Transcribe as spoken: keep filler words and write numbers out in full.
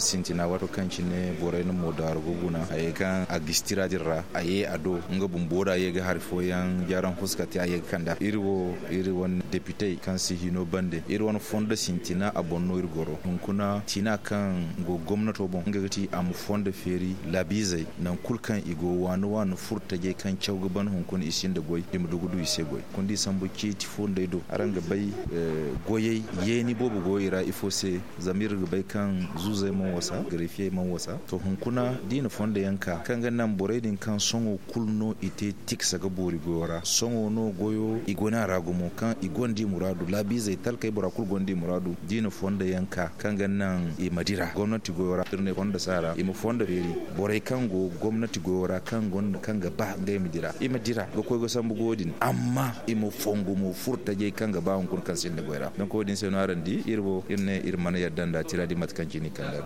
Sintina waato kaŋ cine borey na moodaaru ga guna a ye kaŋ a ga si tira din ra a ye a do nga bumbo da a ye ga hari fooyaŋ jaaraŋ fuska te a ye ga kand'a iri wo iri wane depitey kaŋ si hino bande iri wane fondo sintina a boŋ no iri goro hunkuna tina kaŋ go gomnato boŋ nga ga ti a ma fondo feeri laabiizey nangu kulu kaŋ i go waani waani furo tajey kaŋ caw ga ban hunkuna i sinda goy i ma du ga du i se goy hunkuna da i sambu ceeti fondey do araŋ ga bay goyey yeeni boobo go i ra ifo se zama iri ga bay kaŋ zuuzey mana wasa garefiyey mana wasa to hunkuna da i na fondo yaŋ ka kaŋ ga naŋ borey din kaŋ sohõ kulu no i te tiksa ga boori goyo ra sohõ no goyo i go no a ra gumo kaŋ i gonda i muraadu laabiizey talkey bora kulu gonda i muraadu da i na fondo yaŋ ka kaŋ ga naŋ i ma dira gomnati goyo ra iri ne fondo saara i ma fondo feeri borey kaŋ go gomnati goyo ra kaŋ gonda kaŋ ga ba ngey ma dira i ma dira ga koy ga sambu goyo din amma i ma fongu mo furo tajey kaŋ ga ba hunkuna kaŋ sinda goy ra donk wo- din se no araŋ di iri wo iri ne iri mana yadda nda tira din mate kaŋ cine i kand'a.